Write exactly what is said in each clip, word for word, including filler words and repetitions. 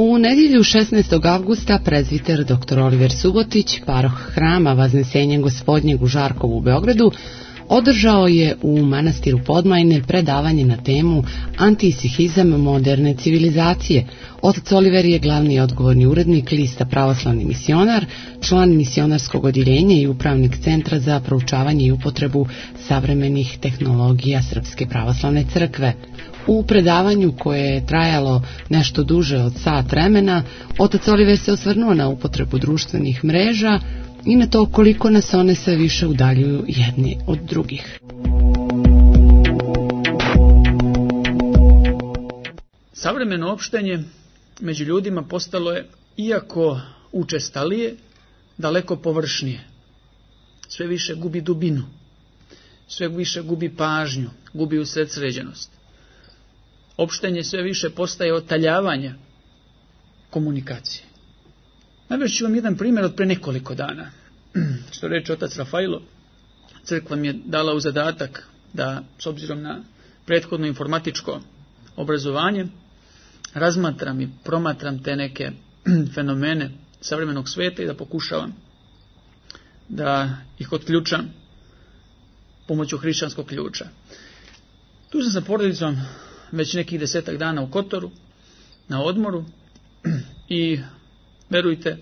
U nedjelju šesnaestog avgusta prezviter doktor Oliver Subotić, paroh hrama Vaznesenja Gospodnjeg u Žarkovu u Beogradu, održao je u manastiru Podmajne predavanje na temu Antisihizam moderne civilizacije. Otac Oliver je glavni odgovorni urednik lista Pravoslavni misionar, član misionarskog odjeljenja i upravnik Centra za proučavanje i upotrebu savremenih tehnologija Srpske pravoslavne crkve. U predavanju koje je trajalo nešto duže od sat vremena, otac Oliver se osvrnuo na upotrebu društvenih mreža i na to koliko nas one sve više udaljuju jedni od drugih. Savremeno opštenje među ljudima postalo je, iako učestalije, daleko površnije. Sve više gubi dubinu, sve više gubi pažnju, gubi usredsređenost. Opštenje sve više postaje otaljavanje komunikacije. Navest ću vam jedan primjer od pre nekoliko dana. Što reče otac Rafailo, crkva mi je dala u zadatak da, s obzirom na prethodno informatičko obrazovanje, razmatram i promatram te neke fenomene savremenog sveta i da pokušavam da ih otključam pomoću hrišćanskog ključa. Tu sam sa porodicom već nekih desetak dana u Kotoru, na odmoru, i verujte,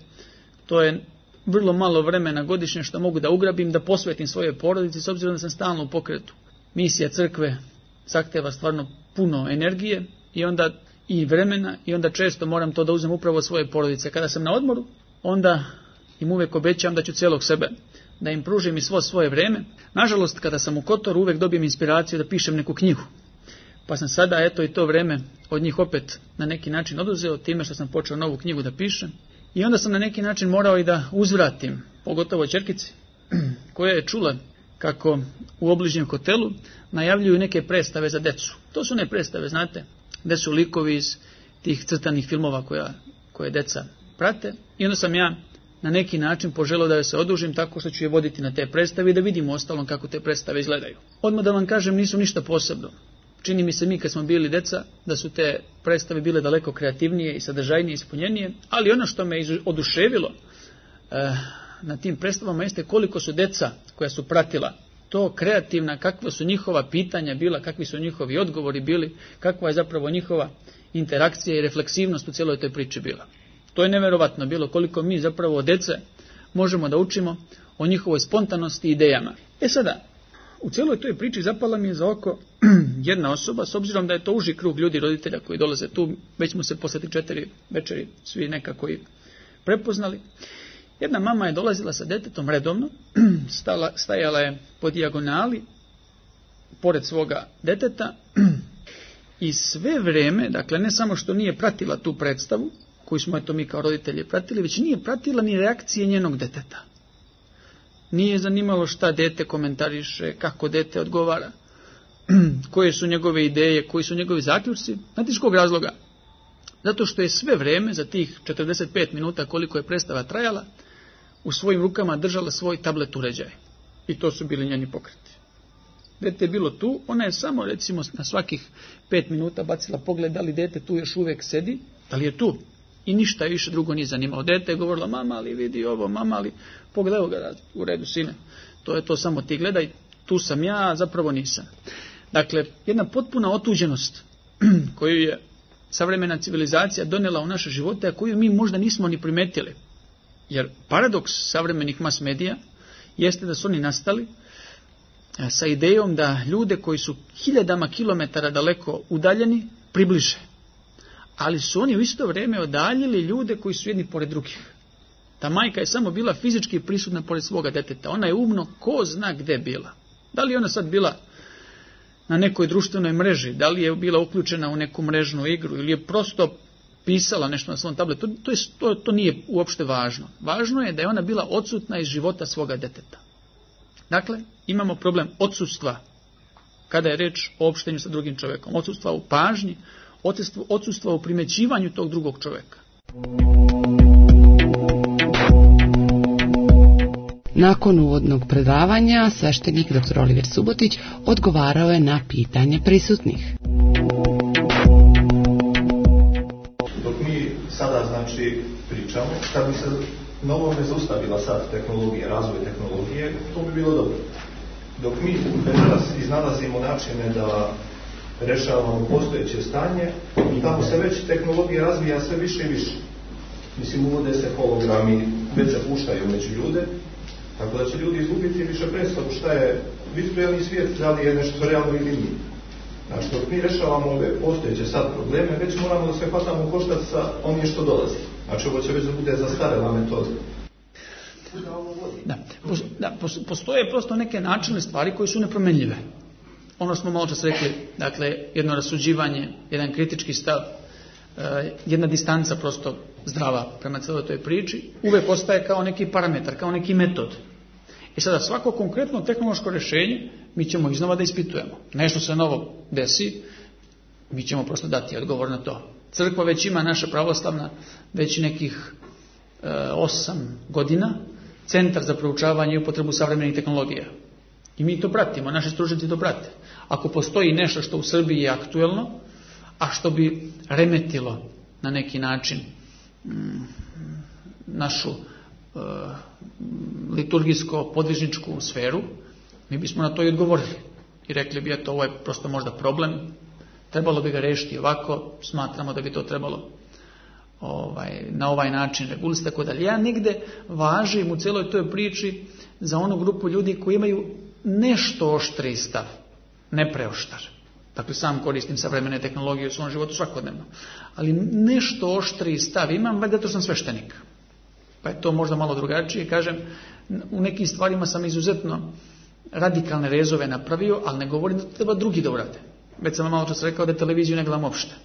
to je vrlo malo vremena godišnje što mogu da ugrabim, da posvetim svoje porodici, s obzirom da sam stalno u pokretu. Misija crkve zahteva stvarno puno energije i onda i vremena, i onda često moram to da uzmem upravo od svoje porodice. Kada sam na odmoru, onda im uvek obećam da ću cijelog sebe, da im pružim i svo svoje vreme. Nažalost, kada sam u Kotoru, uvek dobijem inspiraciju da pišem neku knjigu. Pa sam sada, eto, i to vreme od njih opet na neki način oduzeo time što sam počeo novu knjigu da pišem. I onda sam na neki način morao i da uzvratim, pogotovo ćerkici, koja je čula kako u obližnjem hotelu najavljuju neke predstave za decu. To su ne predstave, znate, gde su likovi iz tih crtanih filmova koja, koje deca prate. I onda sam ja na neki način poželeo da joj se odužim tako što ću je voditi na te predstave i da vidimo ostalom kako te predstave izgledaju. Odmah da vam kažem, nisu ništa posebno. Čini mi se, mi kad smo bili deca, da su te predstave bile daleko kreativnije i sadržajnije i ispunjenije, ali ono što me oduševilo eh, na tim predstavama jeste koliko su deca koja su pratila to kreativna, kakva su njihova pitanja bila, kakvi su njihovi odgovori bili, kakva je zapravo njihova interakcija i refleksivnost u cijeloj toj priči bila. To je neverovatno bilo koliko mi zapravo od dece možemo da učimo o njihovoj spontanosti i idejama. E sada, u cijeloj toj priči zapala mi je za oko jedna osoba, s obzirom da je to uži krug ljudi, roditelja koji dolaze tu, već smo se posle tri četiri večeri svi nekako i prepoznali. Jedna mama je dolazila sa detetom redovno, stala, stajala je po dijagonali, pored svoga deteta, i sve vreme, dakle ne samo što nije pratila tu predstavu, koju smo eto mi kao roditelji pratili, već nije pratila ni reakcije njenog deteta. Nije zanimalo šta dete komentariše, kako dete odgovara, koje su njegove ideje, koji su njegovi zaključci. Znate iz kog razloga? Zato što je sve vreme, za tih četrdeset pet minuta koliko je predstava trajala, u svojim rukama držala svoj tablet uređaj. I to su bili njeni pokreti. Dete je bilo tu, ona je samo recimo na svakih pet minuta bacila pogled da li dete tu još uvijek sedi, da li je tu. I ništa više drugo nije zanimalo. Dete je govorila, mama, ali vidi ovo, mama, ali pogledaj ga, u redu, sine. To je to, samo ti gledaj, tu sam ja, a zapravo nisam. Dakle, jedna potpuna otuđenost koju je savremena civilizacija donijela u naše živote, a koju mi možda nismo ni primetili. Jer paradoks savremenih mas medija jeste da su oni nastali sa idejom da ljude koji su hiljadama kilometara daleko udaljeni približe. Ali su oni u isto vrijeme odaljili ljude koji su jedni pored drugih. Ta majka je samo bila fizički prisutna pored svoga deteta. Ona je umno ko zna gde bila. Da li je ona sad bila na nekoj društvenoj mreži, da li je bila uključena u neku mrežnu igru ili je prosto pisala nešto na svom tabletu, to, to, je, to, to nije uopšte važno. Važno je da je ona bila odsutna iz života svoga deteta. Dakle, imamo problem odsustva kada je reč o opštenju sa drugim čovjekom. Odsustva u pažnji, odsustva u primećivanju tog drugog čovjeka. Nakon uvodnog predavanja, sveštenik doktor Oliver Subotić odgovarao je na pitanje prisutnih. Dok mi sada znači, pričamo, kad bi se na ovome zaustavila sad tehnologija, razvoj tehnologije, to bi bilo dobro. Dok mi večeras iznalazimo načine da rešavamo postojeće stanje, i tamo se već tehnologija razvija sve više i više. Mislim, uvode se hologrami, već se puštaju među ljude, tako da će ljudi izgubiti više predstavu šta je virtualni svijet, da li je nešto realno ili nije. Znači, dok mi rešavamo ove postojeće sad probleme, već moramo da se hvatamo u koštac sa onim što dolazi. Znači, ovo će već da bude zastarela metoda. Da, da, postoje prosto neke načine stvari koje su nepromenljive. Ono smo malo čas rekli, dakle, jedno rasuđivanje, jedan kritički stav, jedna distanca prosto zdrava prema celoj toj priči, uvek ostaje kao neki parametar, kao neki metod. I sada svako konkretno tehnološko rješenje mi ćemo iznova da ispitujemo. Nešto se novo desi, mi ćemo prosto dati odgovor na to. Crkva već ima, naša pravoslavna, već nekih e, osam godina, centar za proučavanje i upotrebu savremenih tehnologija. I mi to pratimo, naši stručnjaci to prate. Ako postoji nešto što u Srbiji je aktuelno, a što bi remetilo na neki način mm, našu e, liturgijsko-podvižničku sferu, mi bismo na to i odgovorili. I rekli bi, eto, ovo je prosto možda problem, trebalo bi ga rešiti ovako, smatramo da bi to trebalo ovaj, na ovaj način regulisati, tako dalje. Ja negde važim u celoj toj priči za onu grupu ljudi koji imaju nešto oštriji stav, ne preoštar. Dakle, sam koristim savremene tehnologije u svom životu svakodnevno. Ali nešto oštriji stav imam, valjda to sam sveštenik. Pa je to možda malo drugačije. Kažem, u nekim stvarima sam izuzetno radikalne rezove napravio, ali ne govorim da to treba drugi da urade. Već sam malo čas rekao da televiziju ne gledam uopšte.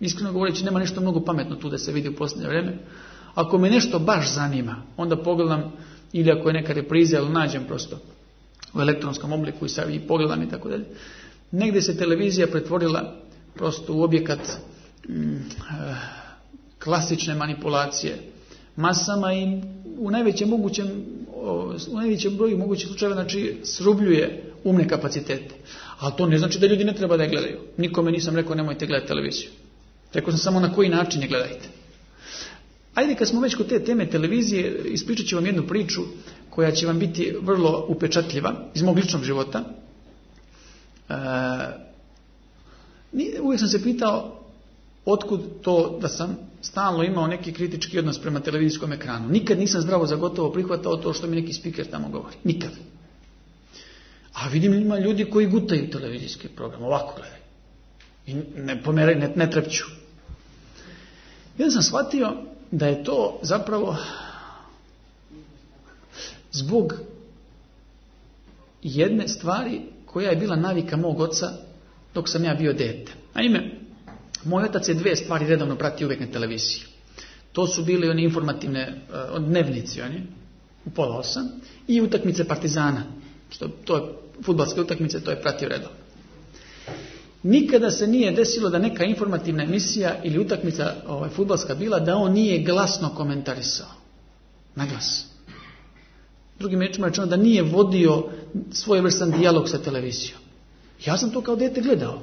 Iskreno govoreći, nema nešto mnogo pametno tu da se vidi u posljednje vreme. Ako me nešto baš zanima, onda pogledam, ili ako je neka repriza, ili nađem prosto u elektronskom obliku i sad i pogledam i tako dalje. Negdje se televizija pretvorila prosto u objekat mm, klasične manipulacije masama i u najvećem mogućem u najvećem broju mogućih slučajeva, znači, srubljuje umne kapacitete. Ali to ne znači da ljudi ne treba da je gledaju. Nikome nisam rekao nemojte gledati televiziju. Rekao sam samo na koji način je gledajte. Ajde, kad smo već kod te teme televizije, ispričat ću vam jednu priču koja će vam biti vrlo upečatljiva iz mog ličnog života. E, uvijek sam se pitao otkud to da sam stalno imao neki kritički odnos prema televizijskom ekranu. Nikad nisam zdravo za gotovo prihvatao to što mi neki spiker tamo govori. Nikad. A vidim, ima ljudi koji gutaju televizijski program, ovako gledaju. I ne pomeraju, ne, ne trepću. Ja sam shvatio da je to zapravo zbog jedne stvari koja je bila navika mog oca dok sam ja bio dete. Naime, moj otac je dve stvari redovno pratio uvijek na televiziji. To su bili oni informativne uh, dnevnici, oni, u pola osam, i utakmice Partizana. Što, to je fudbalske utakmice, to je pratio redovno. Nikada se nije desilo da neka informativna emisija ili utakmica ovaj, fudbalska bila da on nije glasno komentarisao. Na glas. Drugim rečima rečeno da nije vodio svojevrstan dijalog sa televizijom. Ja sam to kao dete gledao.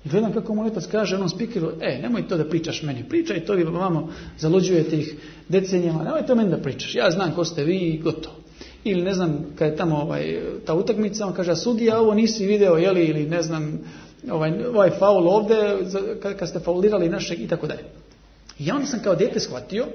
I gledam kako moj otac kaže onom spikeru, e, nemoj to da pričaš meni, pričaj to, vi vamo zaluđujete ih decenijama, nemoj to meni da pričaš, ja znam ko ste vi i gotovo. Ili ne znam, kad je tamo ovaj, ta utakmica, on kaže, sudija, ovo nisi video, jeli, ili ne znam, ovaj, ovaj faul ovde, kad, kad ste faulirali našeg, i tako dalje. I ja onda sam kao dete shvatio,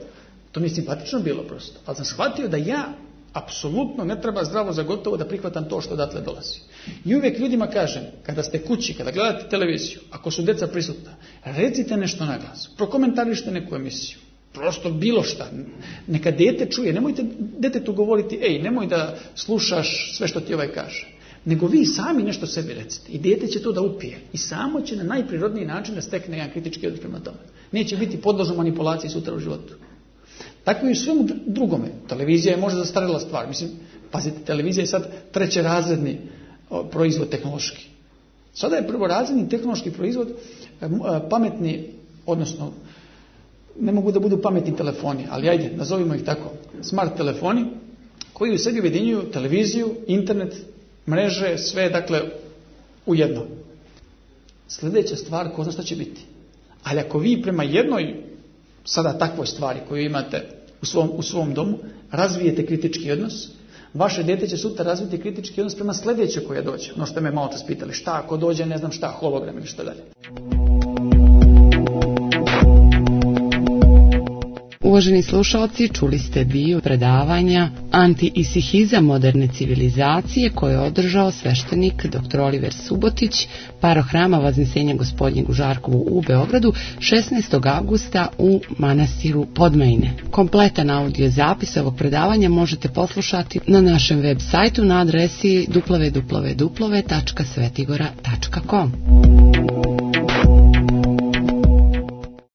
to mi je simpatično bilo prosto, ali sam shvatio da ja apsolutno ne treba zdravo za gotovo da prihvatam to što odatle dolazi. I uvijek ljudima kažem, kada ste kući, kada gledate televiziju, ako su deca prisutna, recite nešto na glas, prokomentarište neku emisiju, prosto bilo šta, neka dete čuje, nemojte detetu govoriti, ej, nemoj da slušaš sve što ti ovaj kaže, nego vi sami nešto sebi recite i dete će to da upije i samo će na najprirodniji način da stekne jedan kritički odnos prema tome. Neće biti podložno manipulaciji sutra u životu. Tako i u svemu drugome. Televizija je možda zastarjela stvar. Mislim, pazite, televizija je sad trećerazredni proizvod tehnološki. Sada je prvorazredni tehnološki proizvod pametni, odnosno ne mogu da budu pametni telefoni, ali ajde, nazovimo ih tako, smart telefoni, koji u sebi ujedinjuju televiziju, internet, mreže, sve, dakle, u jedno. Sljedeća stvar, ko zna šta će biti. Ali ako vi prema jednoj sada takvoj stvari koju imate u svom, u svom domu, razvijete kritički odnos, vaše dijete će sutra razviti kritički odnos prema sljedećoj koja dođe. No što me malo čas pitali, šta ako dođe, ne znam šta, hologram ili šta dalje. Uvaženi slušalci, čuli ste dio predavanja Anti-isihizam moderne civilizacije koje je održao sveštenik doktor Oliver Subotić, parohrama Vaznesenja Gospodnjeg u Žarkovu u Beogradu šesnaestog avgusta u manastiru Podmajine. Kompletan audio zapis ovog predavanja možete poslušati na našem web sajtu na adresi w w w tačka svetigora tačka com.